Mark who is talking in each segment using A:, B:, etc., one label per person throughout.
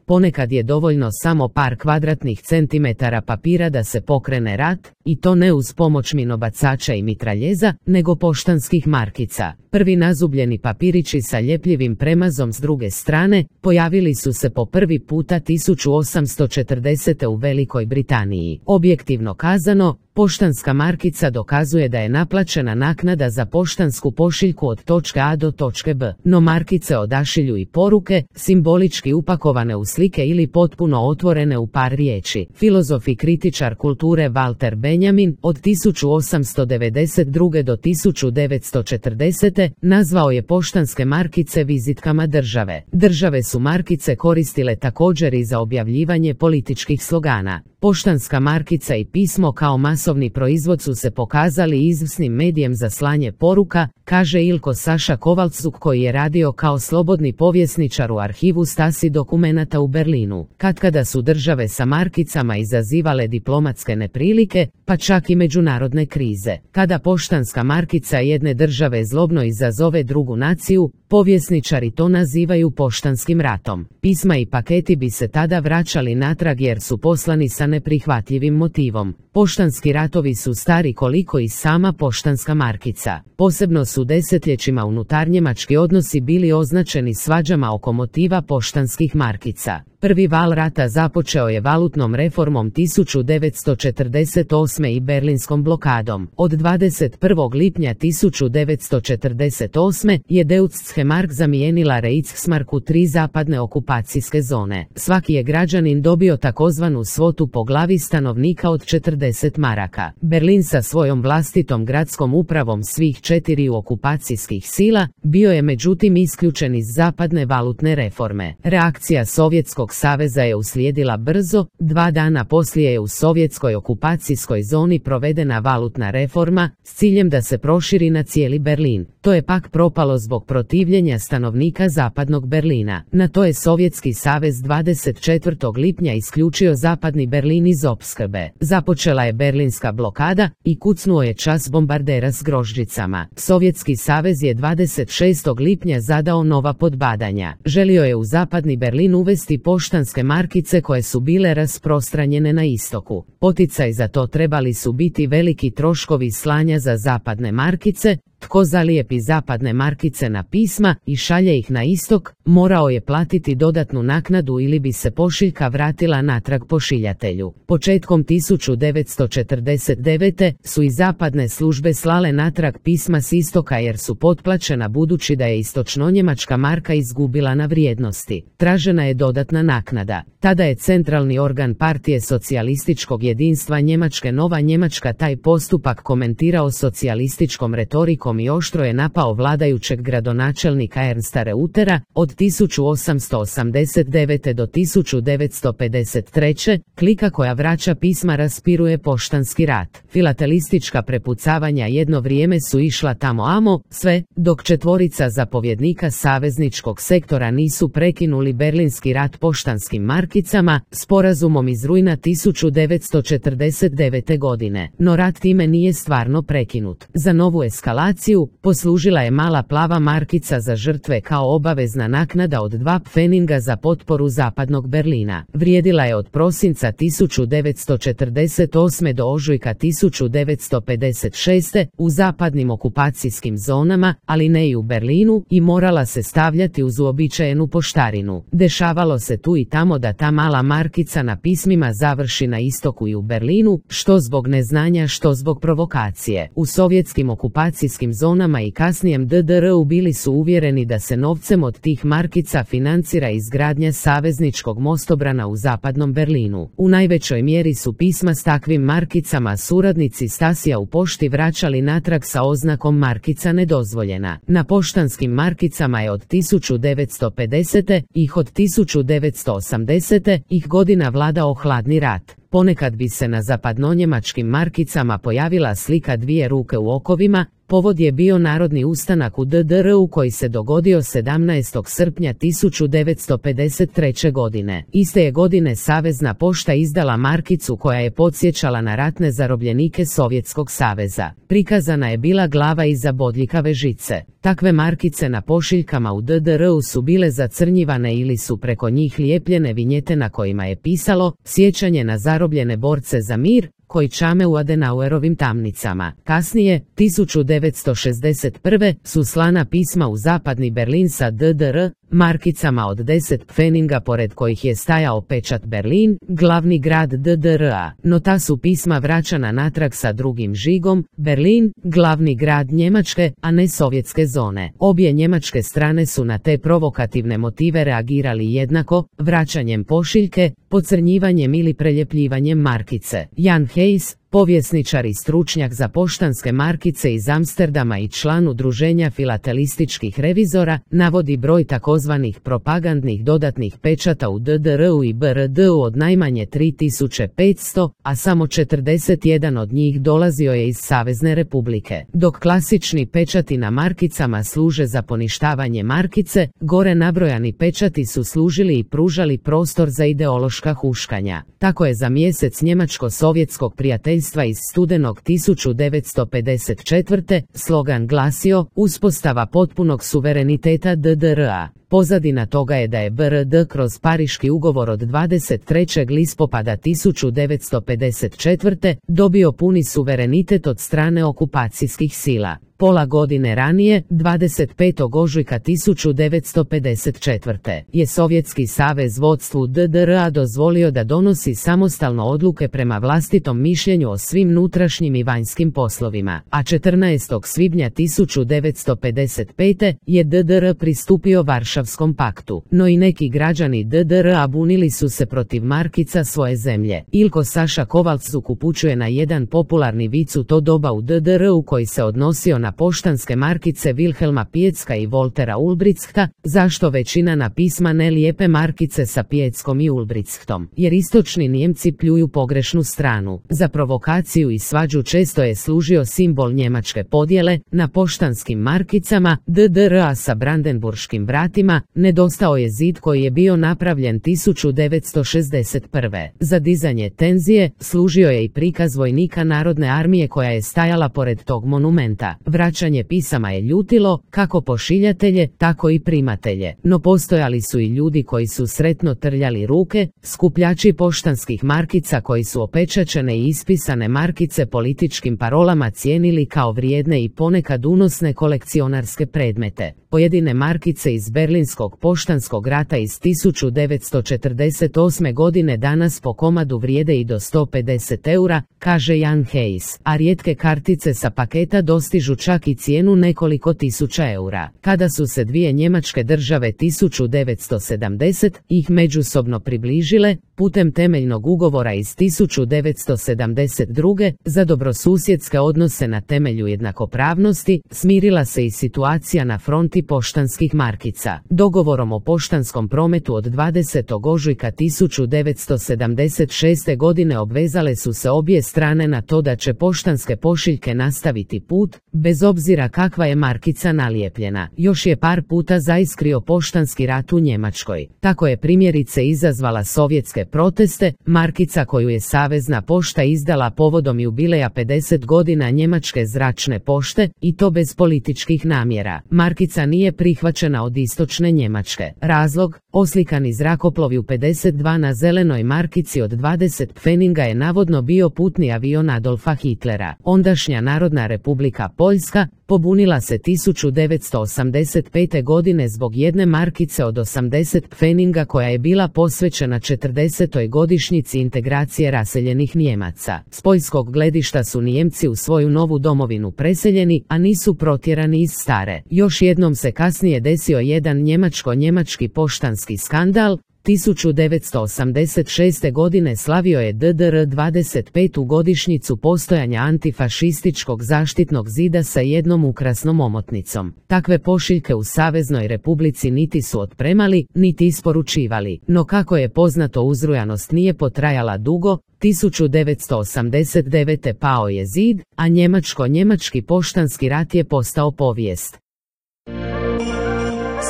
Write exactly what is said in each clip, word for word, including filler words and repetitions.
A: ponekad je dovoljno samo par kvadratnih centimetara papira da se pokrene rat, i to ne uz pomoć minobacača i mitraljeza, nego poštanskih markica. Prvi nazubljeni papirići sa ljepljivim premazom s druge strane pojavili su se po prvi puta tisuću osamsto četrdesete u Velikoj Britaniji. Objektivno kazano, poštanska markica dokazuje da je naplaćena naknada za poštansku pošiljku od točke A do točke B, no markice odašilju i poruke, simbolički upakovane u slike ili potpuno otvorene u par riječi. Filozof i kritičar kulture Walter Benjamin od tisuću osamsto devedeset druge do tisuću devetsto četrdesete nazvao je poštanske markice vizitkama države. Države su markice koristile također i za objavljivanje političkih slogana. Poštanska markica i pismo kao masovni proizvod su se pokazali izvrsnim medijem za slanje poruka, kaže Ilko Saša Kovalcuk koji je radio kao slobodni povjesničar u arhivu Stasi dokumenata u Berlinu. Katkada su države sa markicama izazivale diplomatske neprilike, pa čak i međunarodne krize. Kada poštanska markica jedne države zlobno izazove drugu naciju, povjesničari to nazivaju poštanskim ratom. Pisma i paketi bi se tada vraćali natrag jer su poslani sa neprihvatljivim motivom. Poštanski ratovi su stari koliko i sama poštanska markica. Posebno su desetljećima unutarnjemački odnosi bili označeni svađama oko motiva poštanskih markica. Prvi val rata započeo je valutnom reformom tisuću devetsto četrdeset osme i berlinskom blokadom. Od dvadeset prvog lipnja tisuću devetsto četrdeset osme je Deutsche Mark zamijenila Reichsmark u tri zapadne okupacijske zone. Svaki je građanin dobio takozvanu svotu po glavi stanovnika od četrdeset maraka. Berlin sa svojom vlastitom gradskom upravom svih četiriju okupacijskih sila bio je međutim isključen iz zapadne valutne reforme. Reakcija Sovjetskog saveza je uslijedila brzo, dva dana poslije je u sovjetskoj okupacijskoj zoni provedena valutna reforma s ciljem da se proširi na cijeli Berlin. To je pak propalo zbog protivljenja stanovnika zapadnog Berlina. Na to je Sovjetski savez dvadeset četvrtog lipnja isključio zapadni Berlin iz opskrbe. Započela je berlinska blokada i kucnuo je čas bombardera s grožđicama. Sovjetski savez je dvadeset šestog lipnja zadao nova podbadanja. Želio je u zapadni Berlin uvesti poštanske markice koje su bile rasprostranjene na istoku. Poticaj za to trebali su biti veliki troškovi slanja za zapadne markice. Tko zalijepi zapadne markice na pisma i šalje ih na istok, morao je platiti dodatnu naknadu ili bi se pošiljka vratila natrag pošiljatelju. Početkom tisuću devetsto četrdeset devete su i zapadne službe slale natrag pisma s istoka jer su potplaćena budući da je istočnonjemačka marka izgubila na vrijednosti. Tražena je dodatna naknada. Tada je centralni organ partije socijalističkog jedinstva Njemačke Nova Njemačka taj postupak komentirao socijalističkom retorikom i oštro je napao vladajućeg gradonačelnika Ernsta Reutera. Od tisuću osamsto osamdeset devete do tisuću devetsto pedeset treće klika koja vraća pisma raspiruje poštanski rat. Filatelistička prepucavanja jedno vrijeme su išla tamo amo, sve, dok četvorica zapovjednika savezničkog sektora nisu prekinuli berlinski rat poštanskim markicama, sporazumom iz rujna tisuću devetsto četrdeset devete godine. No rat time nije stvarno prekinut. Za novu eskalaciju poslužila je mala plava markica za žrtve kao obavezna naknada od dva pfeninga za potporu zapadnog Berlina. Vrijedila je od prosinca tisuću devetsto četrdeset osme do ožujka tisuću devetsto pedeset šeste u zapadnim okupacijskim zonama, ali ne i u Berlinu, i morala se stavljati uz uobičajenu poštarinu. Dešavalo se tu i tamo da ta mala markica na pismima završi na istoku i u Berlinu, što zbog neznanja, što zbog provokacije. U sovjetskim okupacijskim zonama i kasnijem D D R-u bili su uvjereni da se novcem od tih markica financira izgradnja savezničkog mostobrana u zapadnom Berlinu. U najvećoj mjeri su pisma s takvim markicama suradnici Stasija u pošti vraćali natrag sa oznakom markica nedozvoljena. Na poštanskim markicama je od tisuću devetsto pedesete ih od tisuću devetsto osamdesete ih godina vladao hladni rat. Ponekad bi se na zapadnonjemačkim markicama pojavila slika dvije ruke u okovima. Povod je bio narodni ustanak u D D R-u koji se dogodio sedamnaestog srpnja tisuću devetsto pedeset treće. godine. Iste je godine Savezna pošta izdala markicu koja je podsjećala na ratne zarobljenike Sovjetskog saveza. Prikazana je bila glava iza bodljikave žice. Takve markice na pošiljkama u D D R-u su bile zacrnjivane ili su preko njih lijepljene vinjete na kojima je pisalo "Sjećanje na zarobljene borce za mir", koji čame u Adenauerovim tamnicama. Kasnije, tisuću devetsto šezdeset prve. su slana pisma u zapadni Berlin sa D D R markicama od deset pfeninga pored kojih je stajao pečat Berlin, glavni grad D D R-a, no ta su pisma vraćana natrag sa drugim žigom, Berlin, glavni grad Njemačke, a ne sovjetske zone. Obje njemačke strane su na te provokativne motive reagirali jednako, vraćanjem pošiljke, pocrnjivanjem ili preljepljivanjem markice. Jan Hayes, povjesničar i stručnjak za poštanske markice iz Amsterdama i član udruženja filatelističkih revizora, navodi broj takozvanih propagandnih dodatnih pečata u D D R-u i B R D-u od najmanje tri tisuće petsto, a samo četrdeset jedan od njih dolazio je iz Savezne republike. Dok klasični pečati na markicama služe za poništavanje markice, gore nabrojani pečati su služili i pružali prostor za ideološka huškanja. Tako je za mjesec njemačko-sovjetskog prijateljstva iz studenog tisuću devetsto pedeset četvrte. slogan glasio "Uspostava potpunog suvereniteta D D R-a". Pozadina toga je da je B R D kroz Pariški ugovor od dvadeset trećeg listopada tisuću devetsto pedeset četvrte. dobio puni suverenitet od strane okupacijskih sila. Pola godine ranije, dvadeset petog ožujka tisuću devetsto pedeset četvrte. je Sovjetski savez vodstvu D D R-a dozvolio da donosi samostalno odluke prema vlastitom mišljenju o svim unutrašnjim i vanjskim poslovima, a četrnaestog svibnja tisuću devetsto pedeset pete. je D D R pristupio Varšavskom paktu. No i neki građani D D R-a bunili su se protiv markica svoje zemlje. Ilko Saša Kovalcuk upućuje na jedan popularni vic u to doba u D D R-u koji se odnosio na poštanske markice Wilhelma Piecka i Voltera Ulbrichta. Zašto većina na pisma ne lijepe markice sa Pieckom i Ulbrichtom? Jer istočni Nijemci pljuju pogrešnu stranu. Za provokaciju i svađu često je služio simbol njemačke podjele. Na poštanskim markicama D D R-a sa brandenburškim vratima nedostao je zid koji je bio napravljen tisuću devetsto šezdeset prve. Za dizanje tenzije služio je i prikaz vojnika Narodne armije koja je stajala pored tog monumenta. Vraćanje pisama je ljutilo kako pošiljatelje, tako i primatelje, no postojali su i ljudi koji su sretno trljali ruke, skupljači poštanskih markica koji su opečačene i ispisane markice političkim parolama cijenili kao vrijedne i ponekad unosne kolekcionarske predmete. Pojedine markice iz Berlinskog poštanskog rata iz tisuću devetsto četrdeset osme. godine danas po komadu vrijede i do sto pedeset eura, kaže Jan Hayes, a rijetke kartice sa paketa dostižu čak i cijenu nekoliko tisuća eura. Kada su se dvije njemačke države tisuću devetsto sedamdesete. ih međusobno približile, putem temeljnog ugovora iz tisuću devetsto sedamdeset druge. za dobrosusjedske odnose na temelju jednakopravnosti, smirila se i situacija na fronti poštanskih markica. Dogovorom o poštanskom prometu od dvadesetog ožujka tisuću devetsto sedamdeset šeste. godine obvezale su se obje strane na to da će poštanske pošiljke nastaviti put, bez obzira kakva je markica nalijepljena. Još je par puta zaiskrio poštanski rat u Njemačkoj. Tako je primjerice izazvala sovjetske proteste, markica koju je Savezna pošta izdala povodom jubileja pedeset godina njemačke zračne pošte, i to bez političkih namjera. Markica nije prihvaćena od istočne Njemačke. Razlog, oslikani zrakoplovi u pedeset dva na zelenoj markici od dvadeset pfeninga je navodno bio putni avion Adolfa Hitlera. Ondašnja Narodna republika Poljska pobunila se tisuću devetsto osamdeset pete. godine zbog jedne markice od osamdeset pfeninga koja je bila posvećena četrdesetoj godišnjici integracije raseljenih Nijemaca. S poljskog gledišta su Nijemci u svoju novu domovinu preseljeni, a nisu protjerani iz stare. Još jednom se kasnije desio jedan njemačko-njemački poštanski skandal, tisuću devetsto osamdeset šeste. godine slavio je D D R dvadeset petu godišnjicu postojanja antifašističkog zaštitnog zida sa jednom ukrasnom omotnicom. Takve pošiljke u Saveznoj Republici niti su otpremali, niti isporučivali, no kako je poznato uzrujanost nije potrajala dugo, tisuću devetsto osamdeset devete. pao je zid, a njemačko-njemački poštanski rat je postao povijest.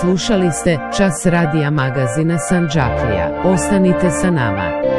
A: Slušali ste Čas radija magazina Sandžaklija. Ostanite sa nama.